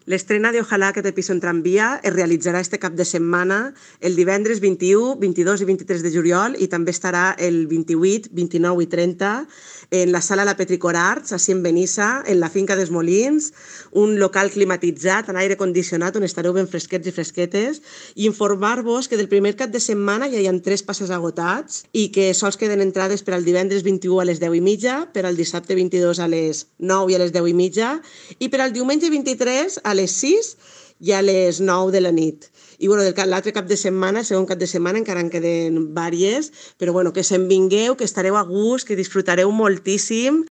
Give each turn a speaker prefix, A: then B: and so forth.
A: L'estrena de Ojalá que te piso en tramvia es realitzarà este cap de setmana el divendres 21, 22 i 23 de juliol i també estarà el 28, 29 i 30 en la sala La Petricor Arts, així en Benissa, en la finca dels Molins, un local climatitzat, amb aire condicionat, on estareu ben fresquets i fresquetes, i informar-vos que del primer cap de setmana ja hi ha 3 passes agotats i que sols queden entrades per al divendres 21 a les 10:30, per al dissabte 22 a les 9 i a les 10:30 i per al diumenge 23 a les 6 i a les 9 de la nit. I l'altre cap de setmana, el segon cap de setmana, encara en queden vàries, però que se'n vingueu, que estareu a gust, que disfrutareu moltíssim